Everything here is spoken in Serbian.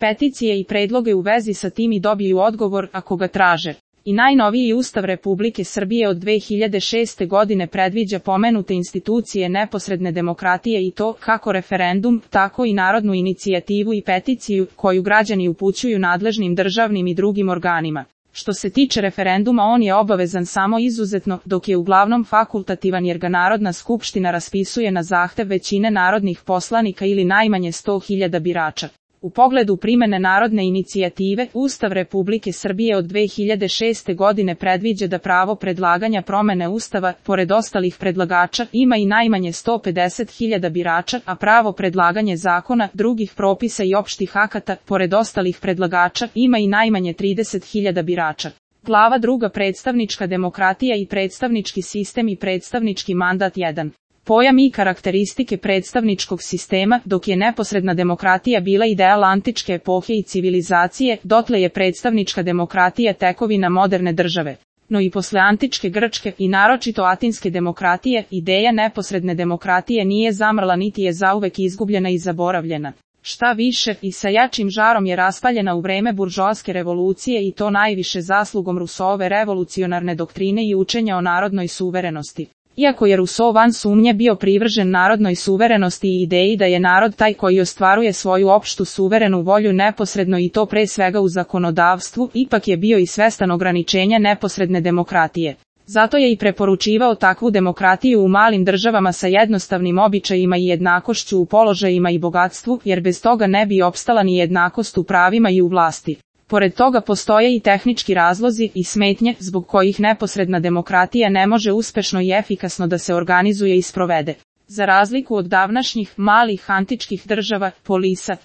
peticije i predloge u vezi sa tim i dobiju odgovor ako ga traže. I najnoviji Ustav Republike Srbije od 2006. godine predviđa pomenute institucije neposredne demokratije i to kako referendum, tako i narodnu inicijativu i peticiju koju građani upućuju nadležnim državnim i drugim organima. Što se tiče referenduma, on je obavezan samo izuzetno, dok je uglavnom fakultativan jer ga Narodna skupština raspisuje na zahtev većine narodnih poslanika ili najmanje 100.000 birača. U pogledu primene narodne inicijative, Ustav Republike Srbije od 2006. godine predviđa da pravo predlaganja promene Ustava, pored ostalih predlagača, ima i najmanje 150.000 birača, a pravo predlaganje zakona, drugih propisa i opštih akata, pored ostalih predlagača, ima i najmanje 30.000 birača. Glava 2. Predstavnička demokratija i predstavnički sistem i predstavnički mandat 1. Pojam i karakteristike predstavničkog sistema. Dok je neposredna demokratija bila ideal antičke epohe i civilizacije, dotle je predstavnička demokratija tekovina moderne države. No i posle antičke Grčke i naročito atinske demokratije, ideja neposredne demokratije nije zamrla niti je zauvek izgubljena i zaboravljena. Šta više, i sa jačim žarom je raspaljena u vreme buržoaske revolucije i to najviše zaslugom Rousseauove revolucionarne doktrine i učenja o narodnoj suverenosti. Iako je Rousseau van sumnje bio privržen narodnoj suverenosti i ideji da je narod taj koji ostvaruje svoju opštu suverenu volju neposredno i to pre svega u zakonodavstvu, ipak je bio i svestan ograničenja neposredne demokratije. Zato je i preporučivao takvu demokratiju u malim državama sa jednostavnim običajima i jednakošću u položajima i bogatstvu, jer bez toga ne bi opstala ni jednakost u pravima i u vlasti. Pored toga postoje i tehnički razlozi i smetnje zbog kojih neposredna demokratija ne može uspešno i efikasno da se organizuje i sprovede. Za razliku od davnašnjih malih antičkih država, polisa,